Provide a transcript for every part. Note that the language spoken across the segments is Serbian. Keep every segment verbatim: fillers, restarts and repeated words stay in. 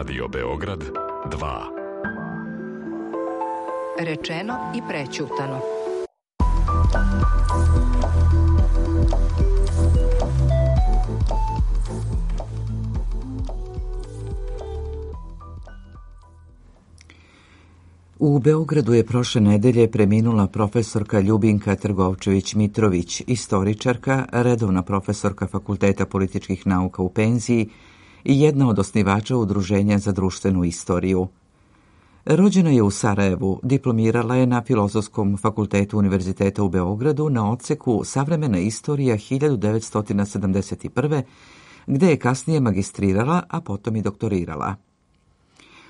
Radio Beograd dva. Rečeno i prećutano. U Beogradu je prošle nedelje preminula profesorka Ljubinka Trgovčević-Mitrović, istoričarka, redovna profesorka Fakulteta političkih nauka u penziji i jedna od osnivača Udruženja za društvenu istoriju. Rođena je u Sarajevu, diplomirala je na Filozofskom fakultetu Univerziteta u Beogradu na odseku Savremena istorija hiljadu devetsto sedamdeset prve. gde je kasnije magistrirala, a potom i doktorirala.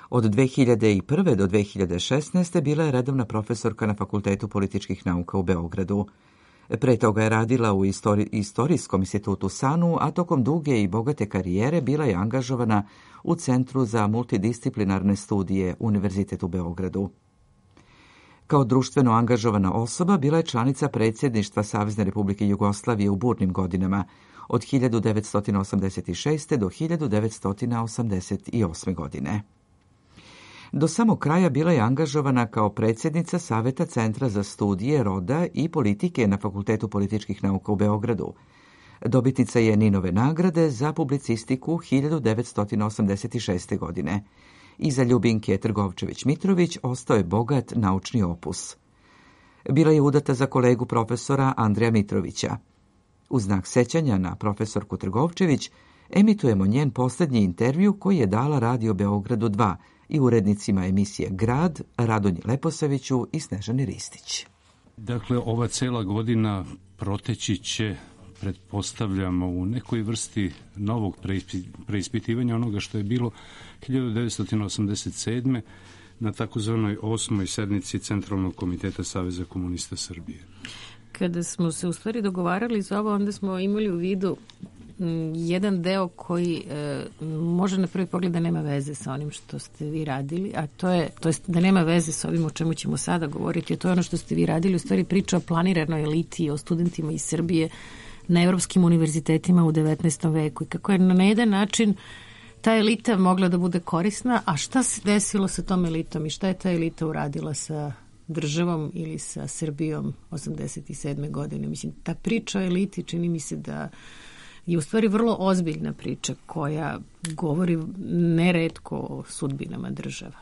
Od dve hiljade prve do dve hiljade šesnaeste. bila je redovna profesorka na Fakultetu političkih nauka u Beogradu. Pre toga je radila u istori- Istorijskom institutu SANU, a tokom duge i bogate karijere bila je angažovana u Centru za multidisciplinarne studije Univerzitet u Beogradu. Kao društveno angažovana osoba bila je članica predsjedništva Savezne Republike Jugoslavije u burnim godinama od hiljadu devetsto osamdeset šeste. do hiljadu devetsto osamdeset osme. godine. Do samog kraja bila je angažovana kao predsjednica Saveta Centra za studije roda i politike na Fakultetu političkih nauka u Beogradu. Dobitnica je Ninove nagrade za publicistiku hiljadu devetsto osamdeset šeste. godine. Iza Ljubinke Trgovčević-Mitrović ostao je bogat naučni opus. Bila je udata za kolegu profesora Andreja Mitrovića. U znak sećanja na profesorku Trgovčević emitujemo njen posljednji intervju koji je dala Radio Beogradu dva i urednicima emisije Grad, Radonji Leposaviću i Snežani Ristić. Dakle, ova cela godina proteći će, pretpostavljamo, u nekoj vrsti novog preispitivanja onoga što je bilo hiljadu devetsto osamdeset sedme. na takozvanoj osmoj sednici Centralnog komiteta Saveza komunista Srbije. Kada smo se u stvari dogovarali za ovo, onda smo imali u vidu jedan deo koji e, može na prvi pogled da nema veze sa onim što ste vi radili, a to je, to je da nema veze sa ovim o čemu ćemo sada govoriti, a to je ono što ste vi radili, u stvari priča o planiranoj eliti, o studentima iz Srbije na evropskim univerzitetima u devetnaestom veku i kako je na jedan način ta elita mogla da bude korisna, a šta se desilo sa tom elitom i šta je ta elita uradila sa državom ili sa Srbijom osamdeset sedme. godine. Mislim, ta priča o eliti čini mi se da je u stvari vrlo ozbiljna priča koja govori neretko o sudbinama država.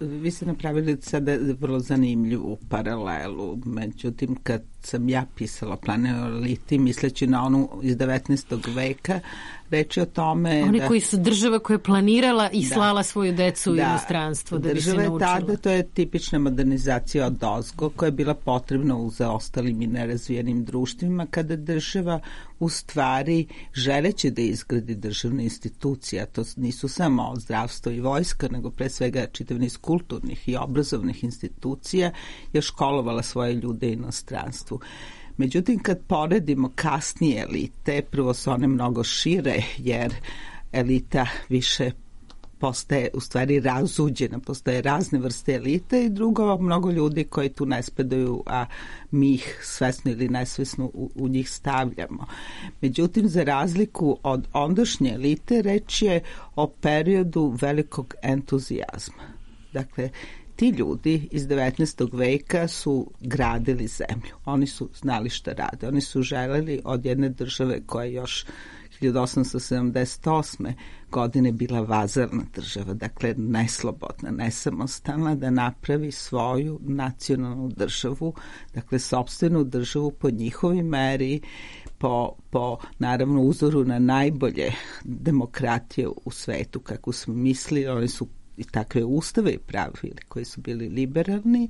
Vi ste napravili sada vrlo zanimljivu paralelu, međutim kad sam ja pisala Planinu eliti, misleći na onu iz devetnaestog veka, reči o tome... Oni da, koji su država koja je planirala i da, slala svoju decu u da, inostranstvo da bi se naučila. Tada, to je tipična modernizacija od ozgo koja je bila potrebna u zaostalim i nerazvijenim društvima, kada država u stvari želeći da izgradi državne institucije, a to nisu samo zdravstvo i vojska, nego pre svega čitav niz kulturnih i obrazovnih institucija, je školovala svoje ljude u inostranstvu. Međutim, kad poredimo kasnije elite, prvo su one mnogo šire, jer elita više postaje u stvari razuđena, postoje razne vrste elite i drugo, mnogo ljudi koji tu ne spadaju, a mi ih svesno ili nesvesno u, u njih stavljamo. Međutim, za razliku od ondašnje elite, reč je o periodu velikog entuzijazma. Dakle, ti ljudi iz devetnaestog veka su gradili zemlju. Oni su znali šta rade. Oni su želeli od jedne države koja još hiljadu osamsto sedamdeset osme. godine bila vazalna država, dakle neslobodna, nesamostalna, da napravi svoju nacionalnu državu, dakle sopstvenu državu po njihovoj meri, po, po naravno uzoru na najbolje demokratije u svetu, kako smo mislili. Oni su i takve ustave pravili koji su bili liberalni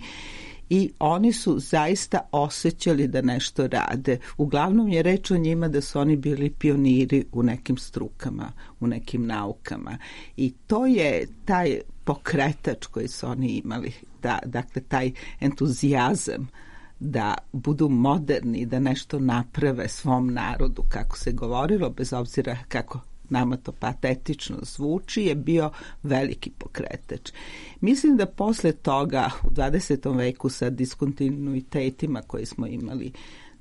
i oni su zaista osjećali da nešto rade. Uglavnom je reč o njima da su oni bili pioniri u nekim strukama, u nekim naukama i to je taj pokretač koji su oni imali, da, dakle taj entuzijazam da budu moderni, da nešto naprave svom narodu, kako se govorilo, bez obzira kako nama to patetično zvuči, je bio veliki pokretač. Mislim da posle toga u dvadesetom veku sa diskontinuitetima koje smo imali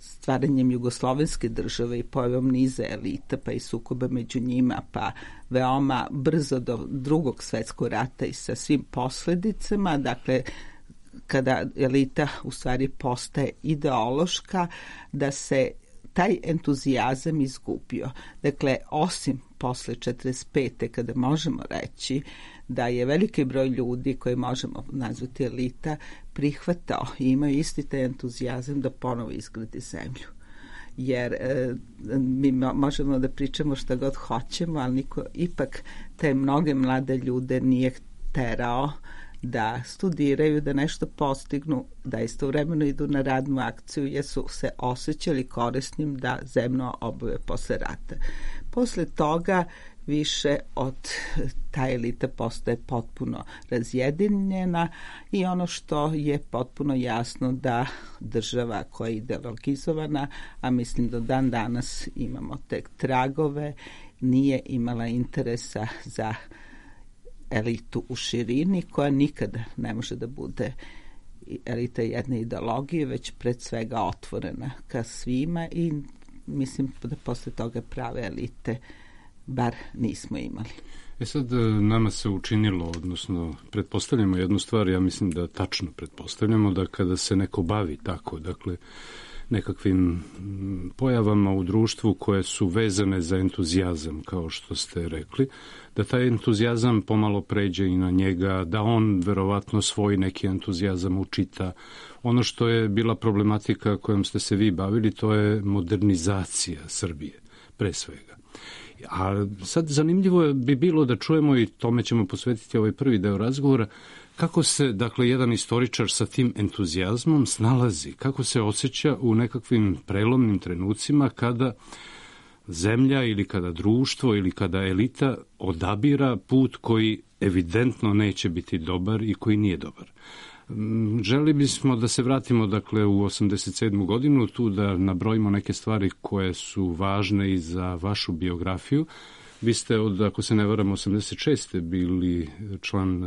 stvaranjem jugoslovenske države i pojavom niza elita, pa i sukoba među njima, pa veoma brzo do drugog svetskog rata i sa svim posledicama, dakle, kada elita u stvari postaje ideološka, da se taj entuzijazam izgubio. Dakle, osim posle četrdeset pete kada možemo reći da je veliki broj ljudi koje možemo nazvati elita prihvatao i imaju isti taj entuzijazam da ponovo izgradi zemlju. Jer e, mi možemo da pričamo šta god hoćemo, ali niko ipak te mnoge mlade ljude nije terao da studiraju, da nešto postignu, da istovremeno idu na radnu akciju, jer su se osjećali korisnim da zemlju obave posle rata. Posle toga više od ta elita postaje potpuno razjedinjena i ono što je potpuno jasno da država koja je ideologizovana, a mislim da dan danas imamo tek tragove, nije imala interesa za elitu u širini, koja nikada ne može da bude elita jedne ideologije, već pred svega otvorena ka svima i mislim da posle toga prave elite bar nismo imali. E sad, nama se učinilo, odnosno pretpostavljamo jednu stvar, ja mislim da tačno pretpostavljamo da kada se neko bavi tako, dakle, nekakvim pojavama u društvu koje su vezane za entuzijazam, kao što ste rekli, da taj entuzijazam pomalo pređe i na njega, da on verovatno svoj neki entuzijazam učita. Ono što je bila problematika kojom ste se vi bavili, to je modernizacija Srbije, pre svega. A sad zanimljivo bi bilo da čujemo, i tome ćemo posvetiti ovaj prvi deo razgovora, kako se, dakle, jedan istoričar sa tim entuzijazmom snalazi, kako se osjeća u nekakvim prelomnim trenucima kada zemlja ili kada društvo ili kada elita odabira put koji evidentno neće biti dobar i koji nije dobar. Želi bismo da se vratimo, dakle, u osamdeset sedmu godinu, tu da nabrojimo neke stvari koje su važne i za vašu biografiju. Vi ste od, ako se ne varam, osamdeset šeste bili član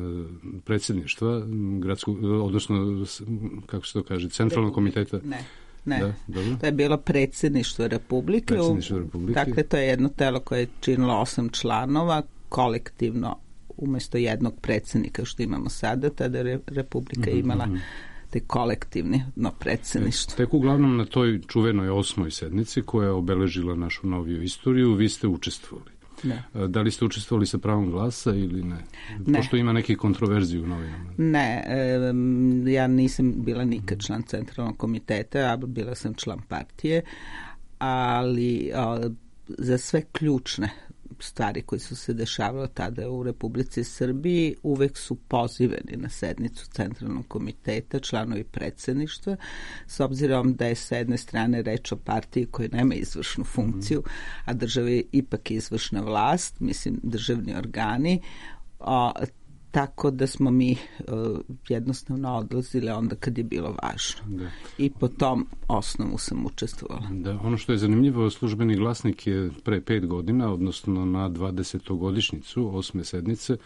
predsjedništva gradskog, odnosno, kako se to kaže, centralnog komiteta. Ne. Ne, da, dobro. To je bilo predsjedništvo Republike. Predsjedništvo Republike. Dakle, to je jedno telo koje je činilo osam članova, kolektivno, umjesto jednog predsjednika što imamo sada, tada je Republika mm-hmm. imala te kolektivno predsjedništvo. Tek uglavnom na toj čuvenoj osmoj sednici koja je obeležila našu noviju istoriju, vi ste učestvovali. Ne. Da li ste učestvovali sa pravom glasa ili ne? Ne. Pošto ima neki kontroverziju u novinama. Ne, e, ja nisam bila nikad član centralnog komiteta, a bila sam član partije, ali a, za sve ključne stvari koje su se dešavale tada u Republici Srbiji uvek su pozivani na sednicu centralnog komiteta, članovi predsjedništva, s obzirom da je sa jedne strane reč o partiji koja nema izvršnu funkciju, a država je ipak izvršna vlast, mislim državni organi, a, tako da smo mi uh, jednostavno odlazili onda kad je bilo važno. Da. I po tom osnovu sam učestvovala. Da, ono što je zanimljivo, Službeni glasnik je pre pet godina, odnosno na dvadesetogodišnjicu osme sednice,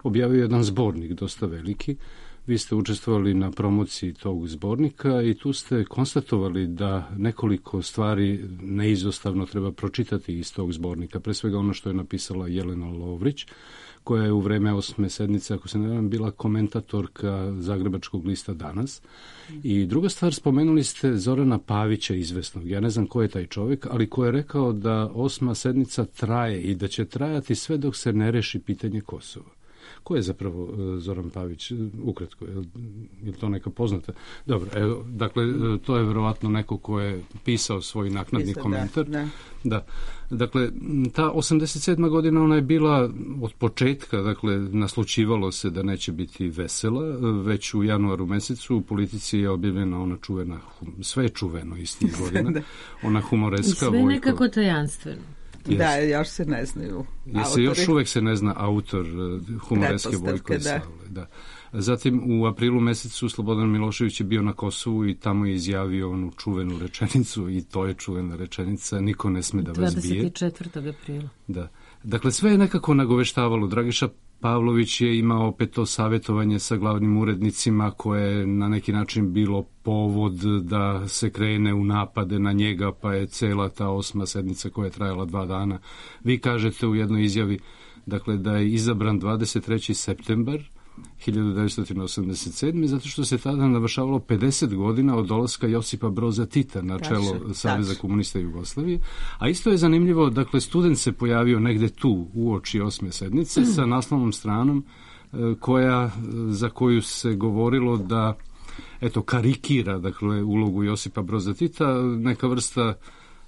objavio jedan zbornik, dosta veliki. Vi ste učestvovali na promociji tog zbornika i tu ste konstatovali da nekoliko stvari neizostavno treba pročitati iz tog zbornika. Pre svega ono što je napisala Jelena Lovrić, koja je u vreme osme sednice, ako se ne varam, bila komentatorka Zagrebačkog lista Danas. I druga stvar, spomenuli ste Zorana Pavića izvesnog. Ja ne znam ko je taj čovjek, ali ko je rekao da osma sednica traje i da će trajati sve dok se ne reši pitanje Kosova. Ko je zapravo Zoran Pavić? Ukratko, je, je to neka poznata? Dobro, evo, dakle, to je verovatno neko ko je pisao svoj naknadni Pisa, komentar. Da, da. da. Dakle, ta osamdeset sedma godina, ona je bila od početka, dakle, naslučivalo se da neće biti vesela. Već u januaru mesecu u Politici je objavljena ona čuvena, sve je čuveno istih godina, da. Ona humoreska. I sve nekako tajanstveno. Yes. Da, još se ne znaju autori. Još uvek se ne zna autor humoreske Vojko i Savle. Da. Zatim u aprilu mesecu Slobodan Milošević je bio na Kosovu i tamo je izjavio onu čuvenu rečenicu i to je čuvena rečenica, niko ne sme da vas bije. dvadeset četvrtog aprila. Da. Dakle, sve je nekako nagoveštavalo. Dragiša Pavlović je imao opet to savjetovanje sa glavnim urednicima koje je na neki način bilo povod da se krene u napade na njega, pa je cela ta osma sednica koja je trajala dva dana. Vi kažete u jednoj izjavi, dakle, da je izabran dvadeset treći septembar hiljadu devetsto osamdeset sedme zato što se tada navršavalo pedeset godina od dolaska Josipa Broza Tita na čelo tačno, Saveza tačno. komunista Jugoslavije. A isto je zanimljivo, dakle, student se pojavio negde tu uoči osme sednice mm. sa naslovnom stranom koja, za koju se govorilo da eto, karikira, dakle, ulogu Josipa Broza Tita, neka vrsta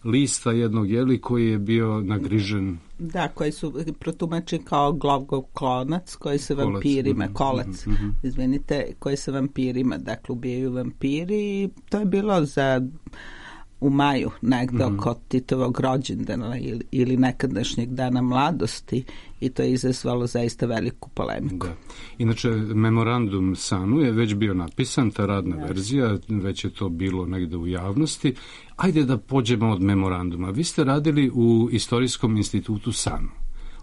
lista jednog jeli koji je bio nagrižen. Da, koji su protumačeni kao Glogov klonac koji se kolac, vampirima, mm, kolac, mm, mm. izvinite, koji se vampirima, dakle, ubijaju vampiri i to je bilo za u maju negde mm. oko Titovog rođendana ili, ili nekadašnjeg dana mladosti i to je izazvalo zaista veliku polemiku. Da. Inače, memorandum SANU je već bio napisan, ta radna ja. verzija, već je to bilo negde u javnosti. Ajde da pođemo od memoranduma. Vi ste radili u Istorijskom institutu SANU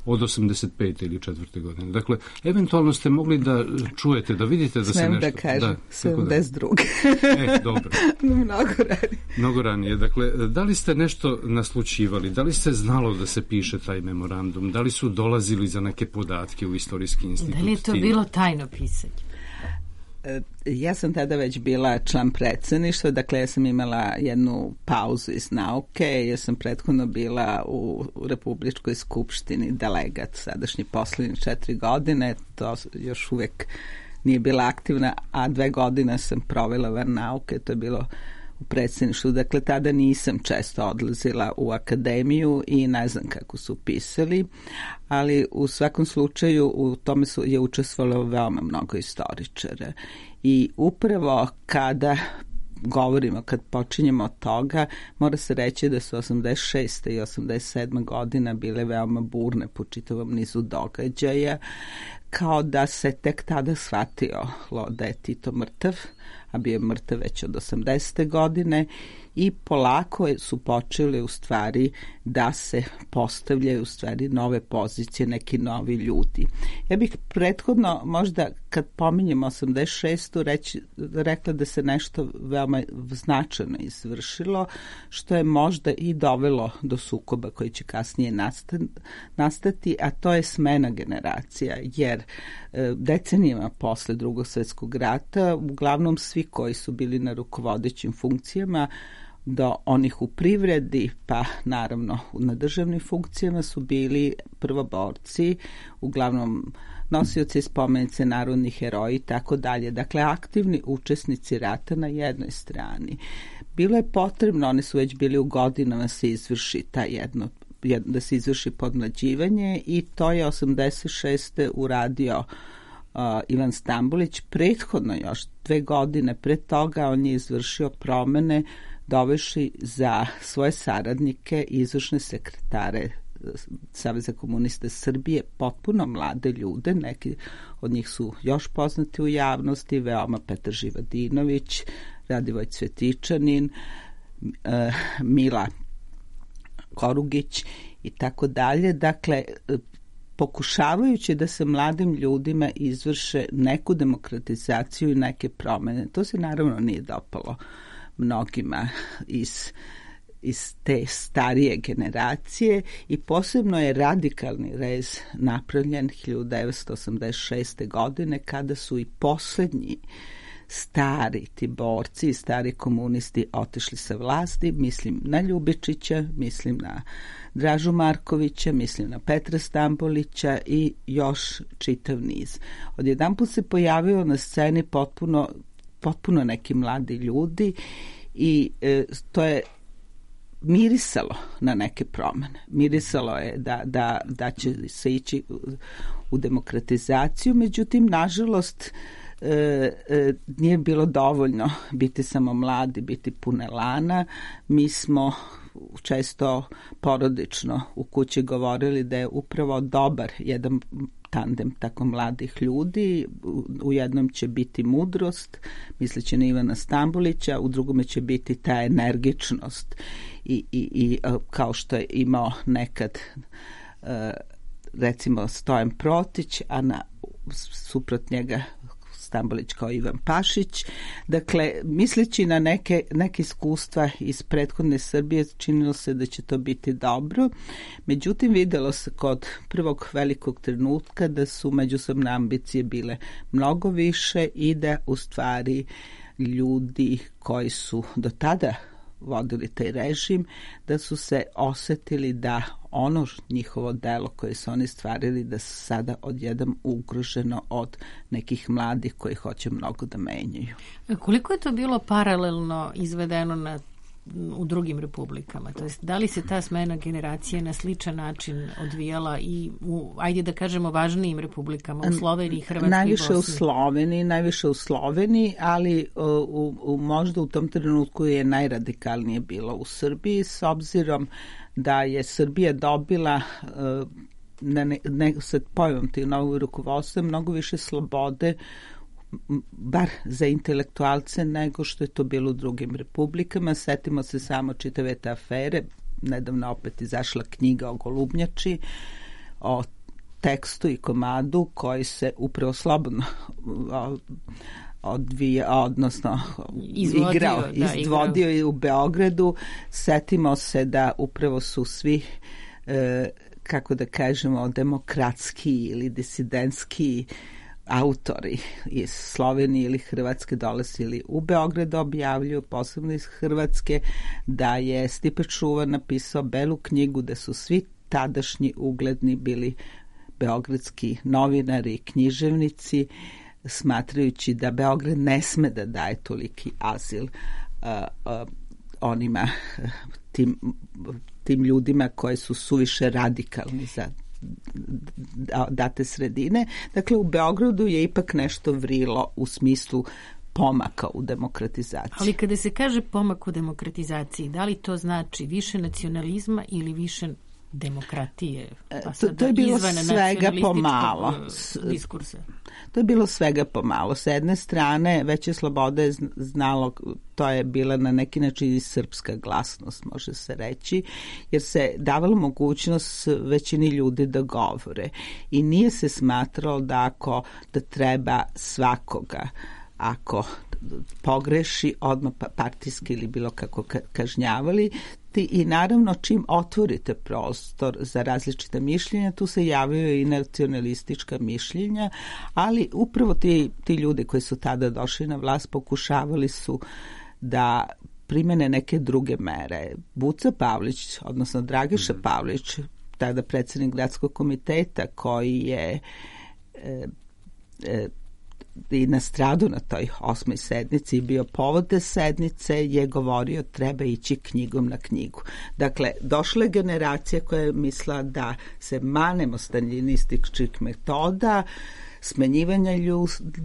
od osamdeset pete ili četvrte godine. Dakle, eventualno ste mogli da čujete, da vidite da Smem se nešto... da kažem, da, sedamdeset druge E, dobro. Mnogo ranije. Mnogo ranije. Dakle, da li ste nešto naslućivali? Da li ste znalo da se piše taj memorandum? Da li su dolazili za neke podatke u Istorijski institut? Da li je to bilo tajno pisanje? Ja sam tada već bila član predsjedništva, dakle ja sam imala jednu pauzu iz nauke, ja sam prethodno bila u Republičkoj skupštini delegat sadašnji poslednje četiri godine, to još uvek nije bila aktivna, a dve godine sam provela van nauke, to je bilo u predsjedništvu, dakle tada nisam često odlazila u akademiju i ne znam kako su pisali, ali u svakom slučaju u tome su, je učestvovalo veoma mnogo istoričara i upravo kada govorimo, kad počinjemo od toga, mora se reći da su osamdeset šeste i osamdeset sedme godina bile veoma burne po čitavom nizu događaja, kao da se tek tada shvatilo da je Tito mrtav, a bio je mrtav već od osamdesete godine i polako su počeli u stvari da se postavljaju u stvari nove pozicije, neki novi ljudi. Ja bih prethodno možda kad pominjem osamdeset šestu reći, rekla da se nešto veoma značajno izvršilo, što je možda i dovelo do sukoba koji će kasnije nastati, a to je smena generacija, jer decenijama posle Drugog svjetskog rata uglavnom svi koji su bili na rukovodećim funkcijama do onih u privredi, pa naravno na državnim funkcijama su bili prvoborci, uglavnom nosioci spomenice, narodni heroji i tako dalje. Dakle, aktivni učesnici rata na jednoj strani. Bilo je potrebno, oni su već bili u godinama se izvrši ta jedno, da se izvrši podmlađivanje i to je osamdeset šeste uradio uh, Ivan Stambolić. Prethodno još dve godine pred toga on je izvršio promene dovešli za svoje saradnike i izvršne sekretare Saveza komunista Srbije, potpuno mlade ljude, neki od njih su još poznati u javnosti, veoma Petar Živadinović, Radivoj Cvetičanin, Mila Korugić i tako dalje. Dakle, pokušavajući da se mladim ljudima izvrše neku demokratizaciju i neke promene. To se naravno nije dopalo mnogima iz, iz te starije generacije i posebno je radikalni rez napravljen hiljadu devetsto osamdeset šeste. godine kada su i poslednji stari ti borci i stari komunisti otišli sa vlasti, mislim na Ljubičića, mislim na Dražu Markovića, mislim na Petra Stambolića i još čitav niz. Odjedanput se pojavio na sceni potpuno potpuno neki mladi ljudi i e, to je mirisalo na neke promene. Mirisalo je da, da, da će se ići u, u demokratizaciju, međutim, nažalost, e, e, nije bilo dovoljno biti samo mladi, biti pun elana. Mi smo često porodično u kući govorili da je upravo dobar jedan tandem tako mladih ljudi. U jednom će biti mudrost, misleći na Ivana Stambolića, u drugome će biti ta energičnost i, i, i kao što je imao nekad uh, recimo Stojan Protić, a na suprot njega Stambolić kao Ivan Pašić. Dakle, misleći na neke, neke iskustva iz prethodne Srbije, činilo se da će to biti dobro. Međutim, videlo se kod prvog velikog trenutka da su međusobne ambicije bile mnogo više i da u stvari ljudi koji su do tada vodili taj režim, da su se osetili da ono njihovo delo koje su oni stvarili, da su sada odjednom ugroženo od nekih mladih koji hoće mnogo da menjaju. Koliko je to bilo paralelno izvedeno na u drugim republikama? To jest, da li se ta smena generacije na sličan način odvijala i u, ajde da kažemo, važnijim republikama, u Sloveniji, Hrvatskoj i najviše Bosni? U Sloveniji, najviše u Sloveniji, ali u, u, možda u tom trenutku je najradikalnije bilo u Srbiji, s obzirom da je Srbija dobila na ne, ne, sa pojavom tih novog rukovodstva mnogo više slobode, bar za intelektualce, nego što je to bilo u drugim republikama. Setimo se samo čitave te afere. Nedavno opet izašla knjiga o Golubnjači, o tekstu i komadu koji se upravo slobodno odvija, odnosno izvodio, igrao, da, izvodio igrao. u Beogradu. Setimo se da upravo su svi e, kako da kažemo demokratski ili disidentski autori iz Slovenije ili Hrvatske dolazili u Beograd da objavljuju, posebno iz Hrvatske, da je Stipe Čuvar napisao belu knjigu, da su svi tadašnji ugledni bili beogradski novinari i književnici, smatrajući da Beograd ne sme da daje toliki azil uh, uh, onima, tim, tim ljudima koji su suviše radikalni za date sredine. Dakle, u Beogradu je ipak nešto vrilo u smislu pomaka u demokratizaciji. Ali kada se kaže pomak u demokratizaciji, da li to znači više nacionalizma ili više demokratije? Pa to, to je bilo svega pomalo. Diskursa. To je bilo svega pomalo. S jedne strane, veće slobode je znalo, to je bila na neki način i srpska glasnost, može se reći, jer se davalo mogućnost većini ljudi da govore. I nije se smatralo da ako da treba svakoga, ako pogreši, odmah partijski ili bilo kako kažnjavali. I naravno čim otvorite prostor za različita mišljenja, tu se javljaju i nacionalistička mišljenja, ali upravo ti, ti ljudi koji su tada došli na vlast pokušavali su da primene neke druge mere. Buca Pavlić, odnosno Dragiša Pavlić, tada predsjednik gradskog komiteta, koji je e, e, i nastradu na toj osmoj sednici i bio povod te sednice, je govorio treba ići knjigom na knjigu. Dakle, došla je generacija koja je mislila da se manemo staljinističkih metoda, smenjivanja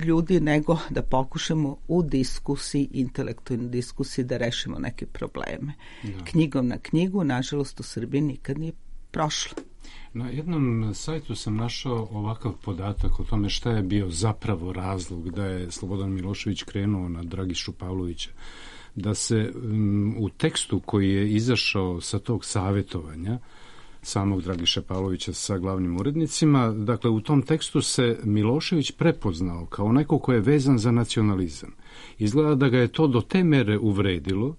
ljudi, nego da pokušamo u diskusiji, intelektualnoj diskusiji da rešimo neke probleme. Da. Knjigom na knjigu, nažalost, u Srbiji nikad nije prošlo. Na jednom sajtu sam našao ovakav podatak o tome šta je bio zapravo razlog da je Slobodan Milošević krenuo na Dragišu Pavlovića. Da se um, u tekstu koji je izašao sa tog savjetovanja samog Dragiša Pavlovića sa glavnim urednicima, dakle u tom tekstu se Milošević prepoznao kao neko ko je vezan za nacionalizam. Izgleda da ga je to do te mere uvredilo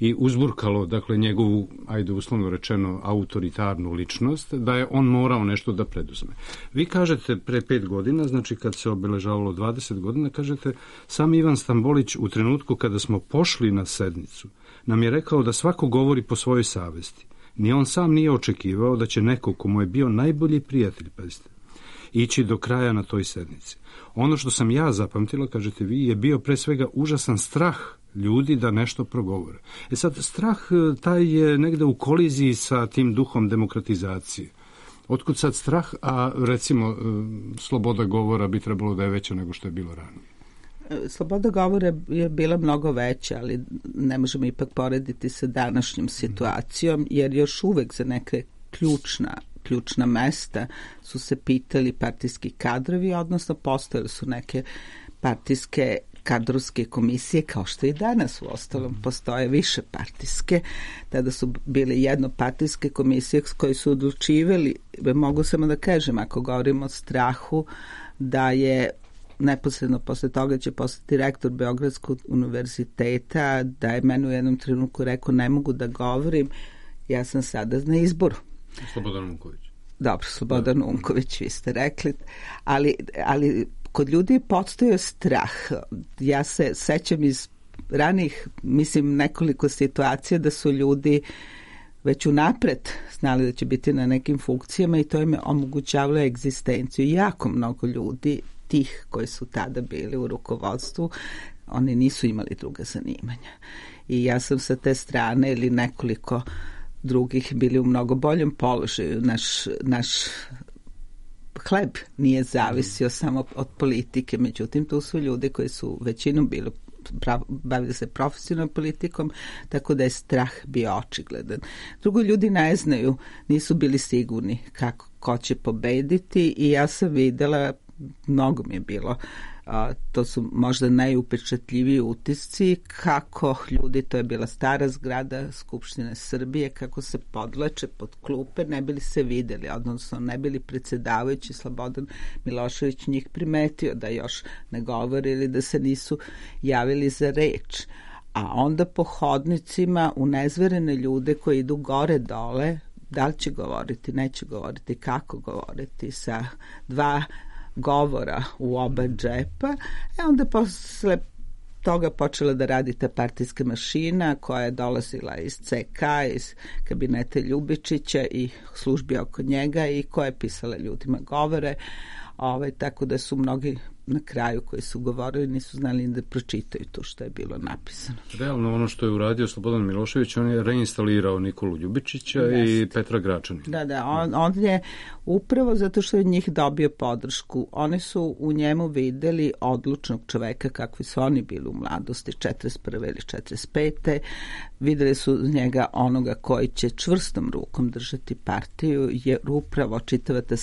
i uzburkalo, dakle, njegovu, ajde uslovno rečeno, autoritarnu ličnost, da je on morao nešto da preduzme. Vi kažete pre pet godina, znači kad se obeležavalo dvadeset godina, kažete, sam Ivan Stambolić u trenutku kada smo pošli na sednicu, nam je rekao da svako govori po svojoj savesti. Ni on sam nije očekivao da će neko komu je bio najbolji prijatelj, pazite, ići do kraja na toj sednici. Ono što sam ja zapamtila, kažete vi, je bio pre svega užasan strah ljudi da nešto progovore. E sad, strah taj je negde u koliziji sa tim duhom demokratizacije. Otkud sad strah, a recimo sloboda govora bi trebalo da je veća nego što je bilo ranije? Sloboda govora je bila mnogo veća, ali ne možemo ipak porediti sa današnjom situacijom, jer još uvek za neke ključna ključna mesta su se pitali partijski kadrovi, odnosno postojali su neke partijske kadrovske komisije, kao što i danas u ostalom postoje više partijske. Tada su bile jednopartijske komisije koje su odlučivali, mogu samo da kažem, ako govorimo o strahu, da je neposredno posle toga će postati rektor Beogradskog univerziteta, da je meni u jednom trenutku rekao ne mogu da govorim, ja sam sada na izboru. Slobodan Unković. Dobro, Slobodan da. Unković, vi ste rekli, ali, ali kod ljudi je postojao strah. Ja se sećam iz ranih, mislim, nekoliko situacija da su ljudi već unapred znali da će biti na nekim funkcijama i to im je omogućavalo egzistenciju. Jako mnogo ljudi, tih koji su tada bili u rukovodstvu, oni nisu imali druga zanimanja. I ja sam sa te strane ili nekoliko drugih bili u mnogo boljem položaju. Naš, naš hleb nije zavisio samo od politike, međutim tu su ljudi koji su većinom bili bavili se profesionalnom politikom, tako da je strah bio očigledan. Drugo, ljudi ne znaju, nisu bili sigurni kako, ko će pobediti i ja sam videla, mnogo mi je bilo, a, to su možda najupečatljiviji utisci, kako ljudi, to je bila stara zgrada Skupštine Srbije, kako se podlače pod klupe, ne bili se videli, odnosno ne bili predsjedavajući Slobodan Milošević njih primetio da još ne govore ili da se nisu javili za reč. A onda po hodnicima unezverene ljude koji idu gore dole, da li će govoriti, neće govoriti, kako govoriti, sa dva govora u oba džepa, e onda posle toga počela da radi ta partijska mašina koja je dolazila iz ce ka, iz kabineta Ljubičića i službi oko njega i koja je pisala ljudima govore, ovaj, tako da su mnogi na kraju koji su govorili nisu znali da pročitaju to što je bilo napisano. Realno ono što je uradio Slobodan Milošević, on je reinstalirao Nikolu Ljubičića Jest. i Petra Gračanina. Da, da, on, on je upravo zato što je njih dobio podršku. Oni su u njemu videli odlučnog čoveka kakvi su oni bili u mladosti, četrdeset prve ili četrdeset pete Videli su njega onoga koji će čvrstom rukom držati partiju, jer upravo čitava ta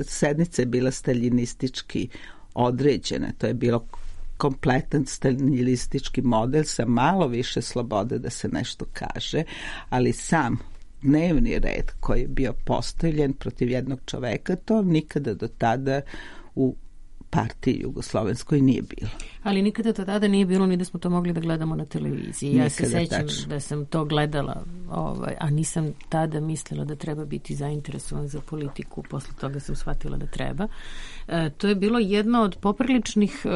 sednica je bila staljinistički određene. To je bilo kompletan staljinistički model sa malo više slobode da se nešto kaže, ali sam dnevni red koji je bio postavljen protiv jednog čoveka, to nikada do tada u partiji jugoslovenskoj nije bilo. Ali nikada to tada nije bilo ni da smo to mogli da gledamo na televiziji. Ja nikada, se sećam tačno. Da sam to gledala, ovaj, a nisam tada mislila da treba biti zainteresovan za politiku. Posle toga sam shvatila da treba. E, to je bilo jedno od popriličnih,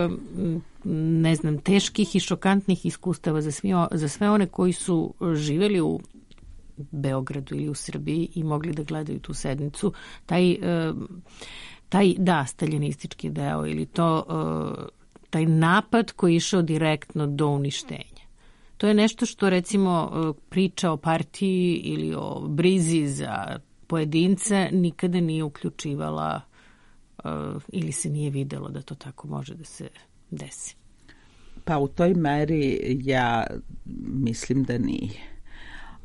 ne znam, teških i šokantnih iskustava za, svi, za sve one koji su živeli u Beogradu ili u Srbiji i mogli da gledaju tu sednicu. Taj... E, taj, da, staljinistički deo ili to, uh, taj napad koji je išao direktno do uništenja. To je nešto što, recimo, uh, priča o partiji ili o brizi za pojedince nikada nije uključivala uh, ili se nije videlo da to tako može da se desi. Pa u toj meri ja mislim da nije.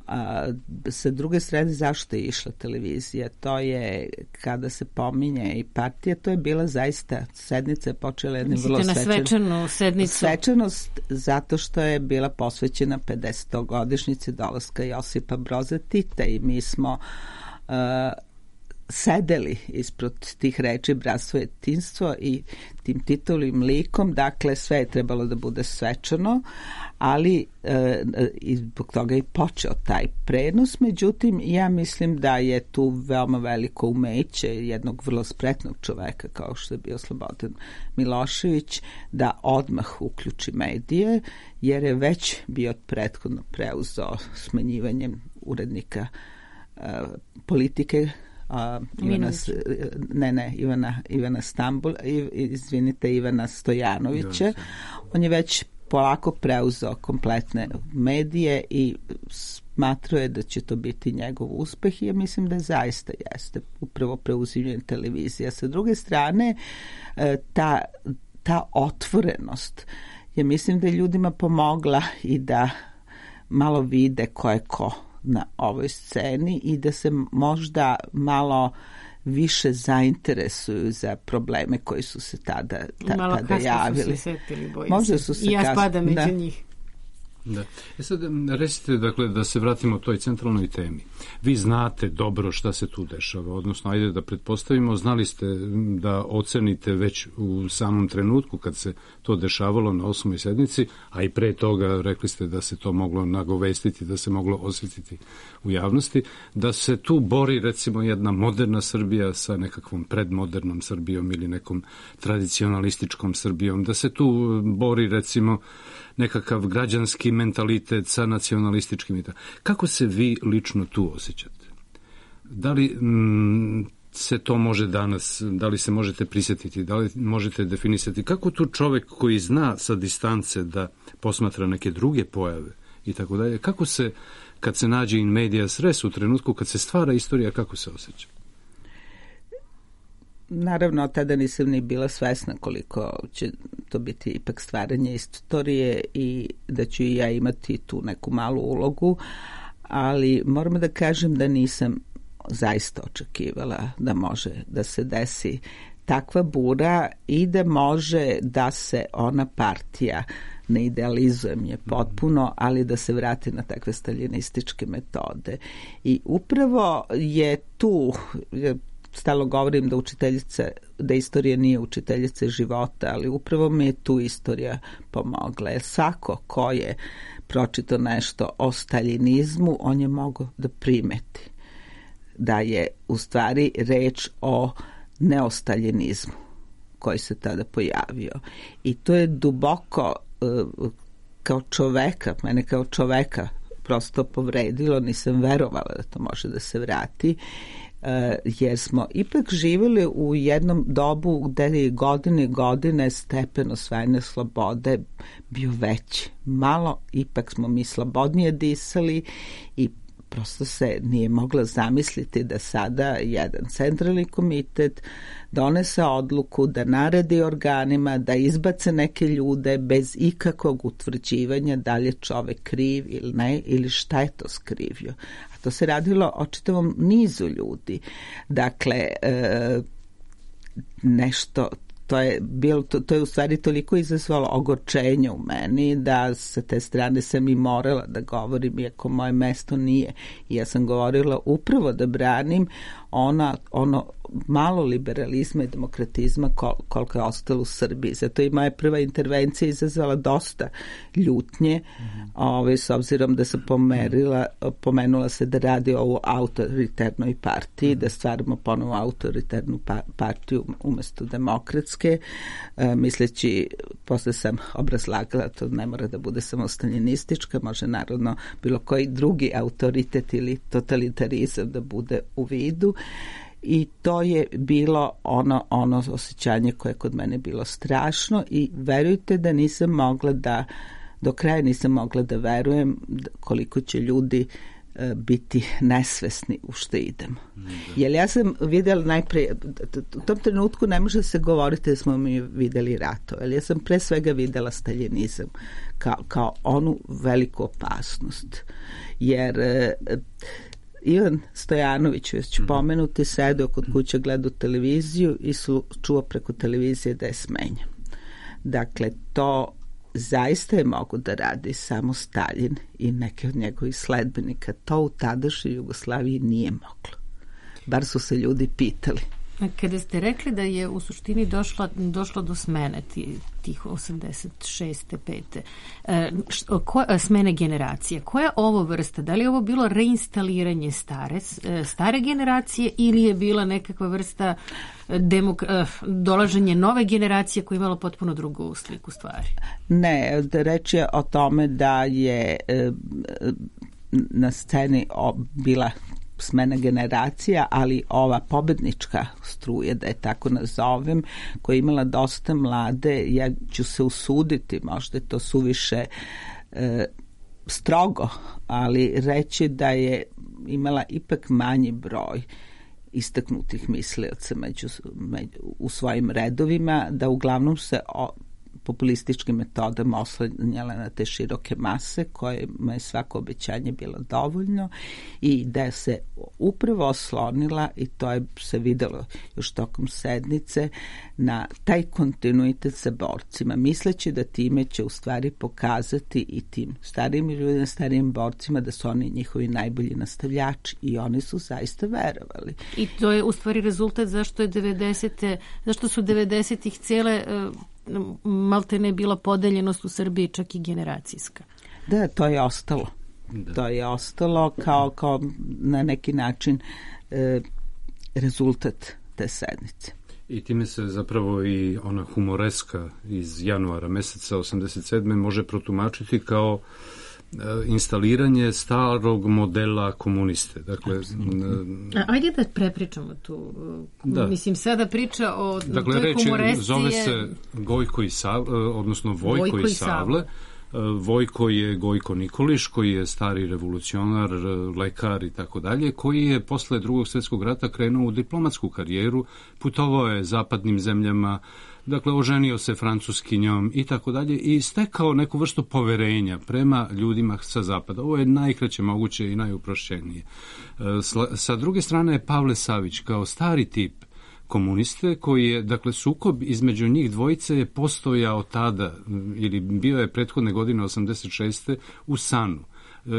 A, sa druge strane, zašto je išla televizija? To je, kada se pominje i partija, to je bila zaista sednica, je počela jednim vrlo svečan, svečanu sednicu. Svečanost zato što je bila posvećena pedesetogodišnjici dolaska Josipa Broza Tita i mi smo uh, sedeli ispred tih reči bratstvo i jedinstvo i tim titulim likom, dakle sve je trebalo da bude svečano, ali e, i zbog toga i počeo taj prenos, međutim ja mislim da je tu veoma veliko umeće jednog vrlo spretnog čoveka kao što je bio Slobodan Milošević da odmah uključi medije, jer je već bio prethodno preuzeo smanjivanjem urednika e, politike A, Ivana, ne, ne, Ivana, Ivana Stambul, izvinite, Ivana Stojanovića. On je već polako preuzeo kompletne medije i smatrao je da će to biti njegov uspeh i ja mislim da zaista jeste upravo preuzimljen televizija. Sa druge strane, ta, ta otvorenost je mislim da je ljudima pomogla i da malo vide ko je ko na ovoj sceni i da se možda malo više zainteresuju za probleme koji su se tada, ta, malo tada javili. Malo kasno su se setili, bojim Možda se. Su se I ja kasno, spadam među da. njih. Da. E sad, recite, dakle, da se vratimo toj centralnoj temi. Vi znate dobro šta se tu dešava, odnosno, ajde da pretpostavimo, znali ste da ocenite već u samom trenutku kad se to dešavalo na osmoj sednici, a i pre toga rekli ste da se to moglo nagovestiti, da se moglo osjetiti u javnosti, da se tu bori, recimo, jedna moderna Srbija sa nekakvom predmodernom Srbijom ili nekom tradicionalističkom Srbijom, da se tu bori, recimo, nekakav građanski mentalitet sa nacionalističkim. Kako se vi lično tu osjećate? Da li m, se to može danas, da li se možete prisjetiti, da li možete definisati, kako tu čovek koji zna sa distance da posmatra neke druge pojave i tako dalje, kako se, kad se nađe in medias res u trenutku kad se stvara istorija, kako se osjeća? Naravno, tada nisam ni bila svesna koliko će to biti ipak stvaranje istorije i da ću i ja imati tu neku malu ulogu, ali moram da kažem da nisam zaista očekivala da može da se desi takva bura i da može da se ona partija, ne idealizujem je potpuno, ali da se vrati na takve staljinističke metode. I upravo je tu... Stalno govorim da učiteljica, da istorija nije učiteljica života, ali upravo mi je tu istorija pomogla. Jer svako ko je pročitao nešto o staljinizmu, on je mogao da primeti da je u stvari reč o neostaljinizmu koji se tada pojavio. I to je duboko kao čoveka, mene kao čoveka prosto povredilo, nisam verovala da to može da se vrati, jer smo ipak živjeli u jednom dobu gde je godine godine stepen osvajanja slobode bio veći. Malo ipak smo mi slobodnije disali i prosto se nije mogla zamisliti da sada jedan centralni komitet donese odluku da naredi organima da izbace neke ljude bez ikakvog utvrđivanja da li je čovek kriv ili ne, ili šta je to skrivio. A to se radilo o čitavom nizu ljudi. Dakle, e, nešto... To je, bilo, to, to je u stvari toliko izazvalo ogorčenje u meni da sa te strane sam i morala da govorim, iako moje mesto nije. I ja sam govorila upravo da branim ona, ono malo liberalizma i demokratizma kol, koliko je ostalo u Srbiji. Zato i moja prva intervencija izazvala dosta ljutnje, mm-hmm. ove, s obzirom da sam pomerila, pomenula se da radi o autoriternoj partiji, mm-hmm. da stvaramo ponovo autoritarnu pa, partiju umesto demokratske, e, misleći, posle sam obrazlagala, to ne mora da bude samo staljinistička, može naravno bilo koji drugi autoritet ili totalitarizam da bude u vidu. I to je bilo ono, ono osjećanje koje je kod mene bilo strašno i verujte da nisam mogla da, do kraja nisam mogla da verujem koliko će ljudi uh, biti nesvesni u što idemo. Mm, jer ja sam videla najpre, u tom trenutku ne može se govoriti da smo mi videli rato, jer ja sam pre svega videla staljinizam kao, kao onu veliku opasnost. Jer uh, Ivan Stojanović, već ću pomenuti, sedeo kod kuće, gledao televiziju i su, čuo preko televizije da je smenjen. Dakle, to zaista je mogu da radi samo Staljin i neke od njegovih sledbenika. To u tadašnjoj Jugoslaviji nije moglo. Bar su se ljudi pitali. Kada ste rekli da je u suštini došlo, došlo do smene tih osamdeset šeste pete E, ko, smene generacije, koja je ovo vrsta? Da li je ovo bilo reinstaliranje stare, stare generacije ili je bila nekakva vrsta demok, dolaženje nove generacije koja je imala potpuno drugu sliku stvari? Ne, reč je o tome da je na sceni bila smena generacija, ali ova pobednička struja, da je tako nazovem, koja je imala dosta mlade, ja ću se usuditi, možda je to suviše e, strogo, ali reći da je imala ipak manji broj istaknutih mislioca među, među, u svojim redovima, da uglavnom se o, populističkim metodama oslanjala na te široke mase kojima je svako obećanje bilo dovoljno i da se upravo oslonila, i to je se videlo još tokom sednice, na taj kontinuitet sa borcima, misleći da time će u stvari pokazati i tim starijim ljudima, starijim borcima da su oni njihovi najbolji nastavljači, i oni su zaista verovali. I to je u stvari rezultat zašto je devedesete zašto su devedesetih cijele malte ne bila podeljenost u Srbiji, čak i generacijska. Da, to je ostalo. Da. To je ostalo kao, kao na neki način e, rezultat te sednice. I time se zapravo i ona humoreska iz januara meseca osamdeset sedme može protumačiti kao instaliranje starog modela komuniste. Dakle, A, ajde da prepričamo tu. Da. Mislim, sada priča o dakle, toj reči, humoresci. Zove se Gojko i Savle, odnosno Vojko, Vojko i Savle. Vojko je Gojko Nikolić, koji je stari revolucionar, lekar i tako dalje, koji je posle Drugog svjetskog rata krenuo u diplomatsku karijeru, putovao je zapadnim zemljama, dakle, oženio se francuskinjom i tako dalje i stekao neku vrstu poverenja prema ljudima sa zapada. Ovo je najkraće moguće i najuprošćenije. Sa druge strane je Pavle Savić kao stari tip komuniste, koji je, dakle, sukob između njih dvojice je postojao tada, ili bio je prethodne godine osamdeset šeste u Sanu.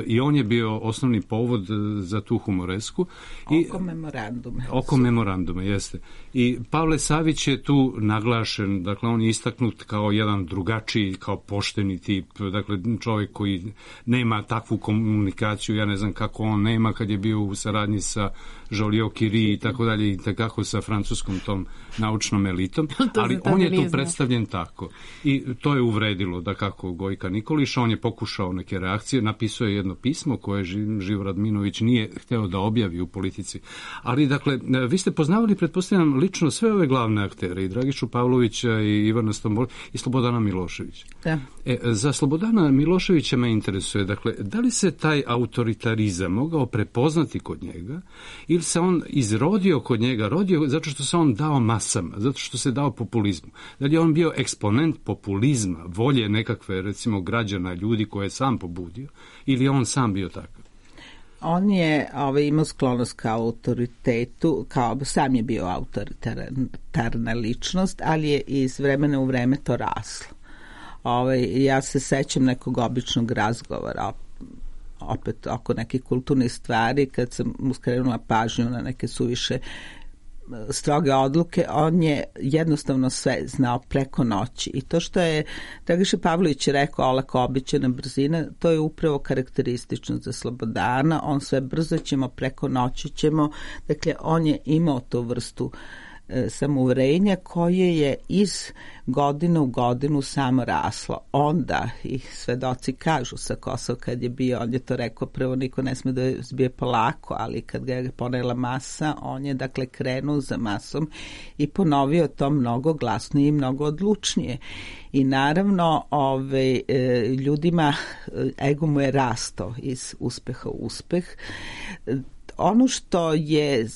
I on je bio osnovni povod za tu humoresku. I, oko memorandume. Oko memorandume, jeste. I Pavle Savić je tu naglašen, dakle on je istaknut kao jedan drugačiji, kao pošteni tip, dakle čovjek koji nema takvu komunikaciju, ja ne znam kako on nema kad je bio u saradnji sa Joliot Curie i tako dalje, i tako sa francuskom tom naučnom elitom, ali on je tu predstavljen tako. I to je uvredilo, da kako Gojka Nikolića, on je pokušao neke reakcije, napisao je jedno pismo koje Živo Radminović nije hteo da objavi u Politici. Ali, dakle, vi ste poznavali, pretpostavljam, lično sve ove glavne aktere, i Dragišu Pavlovića, i Ivana Stombol, i Slobodana Miloševića. Da. E, za Slobodana Miloševića me interesuje, dakle, da li se taj autoritarizam mogao prepoznati kod njega, ili se on izrodio kod njega, rodio zato što se on dao masama, zato što se dao populizmu. Da li je on bio eksponent populizma, volje nekakve, recimo, građana, ljudi koje je sam pobudio, ili je on sam bio takav? On je ovaj, imao sklonost kao autoritetu, kao sam je bio autoritarna ličnost, ali je iz vremena u vreme to raslo. Ovaj, ja se sećam nekog običnog razgovora opet oko nekih kulturnih stvari, kad sam mu skrenula pažnju na neke suviše stroge odluke, on je jednostavno sve znao preko noći. I to što je Dragiša Pavlović rekao, olako običajna brzina, to je upravo karakteristično za Slobodana. On sve brzo ćemo, preko noći ćemo. Dakle, on je imao tu vrstu e, samouverenja koje je iz godine u godinu samo raslo. Onda, i svedoci kažu sa Kosova kad je bio, on je to rekao, prvo niko ne sme da zbije polako, ali kad ga je ponela masa, on je dakle krenuo za masom i ponovio to mnogo glasnije i mnogo odlučnije. I naravno ove, ljudima ego mu je rasto iz uspeha u uspeh. Ono što je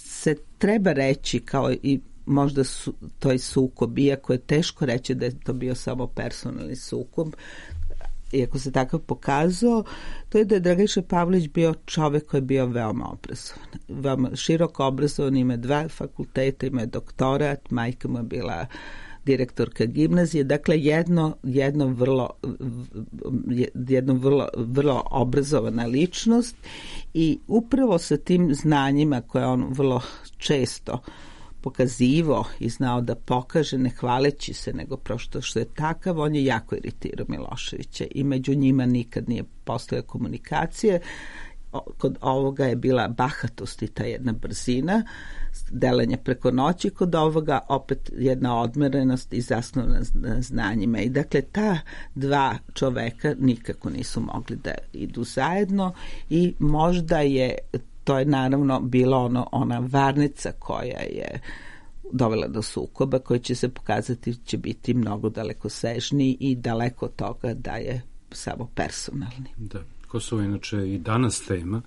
se treba reći kao i možda su, to je sukob, iako je teško reći da je to bio samo personalni sukob, iako se takav pokazao, to je da je Dragiša Pavlović bio čovek koji je bio veoma obrazovan. Veoma široko obrazovan, ima dva fakulteta, ima doktorat, majka mu je bila direktorka gimnazije, dakle jedno, jedno vrlo jedno vrlo, vrlo obrazovana ličnost, i upravo sa tim znanjima koje on vrlo često pokazivo i znao da pokaže, ne hvaleći se, nego prosto što je takav, on je jako iritirao Miloševića i među njima nikad nije postojala komunikacije. Kod ovoga je bila bahatost i ta jedna brzina, delanje preko noći, kod ovoga opet jedna odmerenost i zasnovana na znanjima. I dakle, ta dva čoveka nikako nisu mogli da idu zajedno, i možda je to je naravno bila ono, ona varnica koja je dovela do sukoba, koji će se pokazati će biti mnogo dalekosežniji i daleko od toga da je samo personalni. Da. Kosovo je inače i danas tema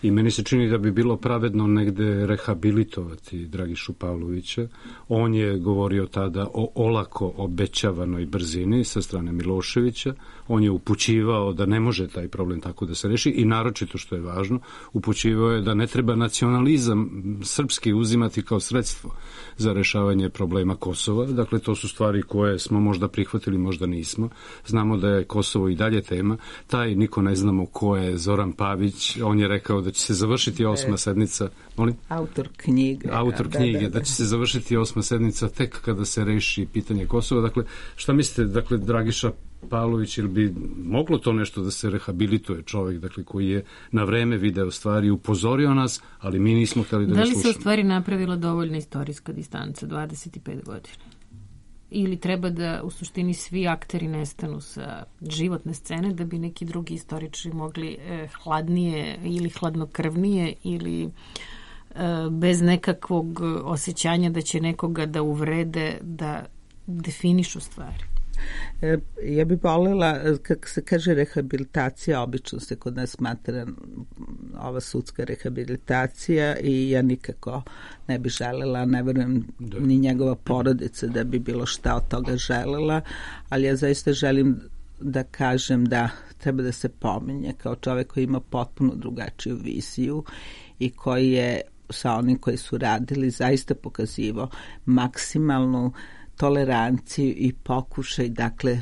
i meni se čini da bi bilo pravedno negde rehabilitovati Dragišu Pavlovića. On je govorio tada o olako obećavanoj brzini sa strane Miloševića. On je upućivao da ne može taj problem tako da se reši i naročito što je važno, upućivao je da ne treba nacionalizam srpski uzimati kao sredstvo za rešavanje problema Kosova. Dakle, to su stvari koje smo možda prihvatili, možda nismo. Znamo da je Kosovo i dalje tema. Taj niko ne znamo ko je Zoran Pavić. On je rekao da će se završiti osma sednica. Molim? Autor knjige. Autor knjige, da, da, da. da će se završiti osma sednica tek kada se reši pitanje Kosova. Dakle, šta mislite, dakle, Dragiša Pavlović, ili bi moglo to nešto da se rehabilituje čovjek, dakle, koji je na vreme video stvari, upozorio nas, ali mi nismo htjeli da, da ne slušamo. Da li se u stvari napravila dovoljna istorijska distanca, dvadeset pet godina? Ili treba da u suštini svi akteri nestanu sa životne scene da bi neki drugi istoričari mogli eh, hladnije ili hladnokrvnije ili eh, bez nekakvog osjećanja da će nekoga da uvrede, da definišu stvari? Ja bih voljela, kako se kaže rehabilitacija, obično se kod nas smatra ova sudska rehabilitacija i ja nikako ne bih želela, ne verujem da. Ni njegova porodica da bi bilo šta od toga želela, ali ja zaista želim da kažem da treba da se pominje kao čovjek koji ima potpuno drugačiju viziju i koji je sa onim koji su radili zaista pokazivao maksimalnu toleranciju i pokušaj, dakle,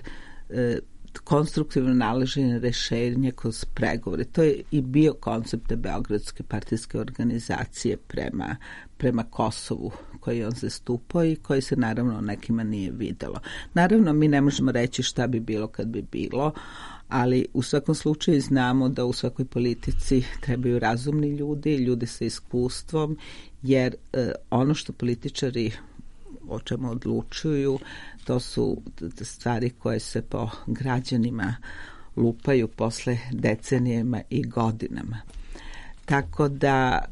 e, konstruktivno nalaženje rešenja kroz pregovore. To je i bio koncept te Beogradske partijske organizacije prema, prema Kosovu koji on zastupao i koji se naravno nekima nije videlo. Naravno, mi ne možemo reći šta bi bilo kad bi bilo, ali u svakom slučaju znamo da u svakoj politici trebaju razumni ljudi, ljudi sa iskustvom, jer e, ono što političari o čemu odlučuju, to su stvari koje se po građanima lupaju posle decenijama i godinama. Tako da,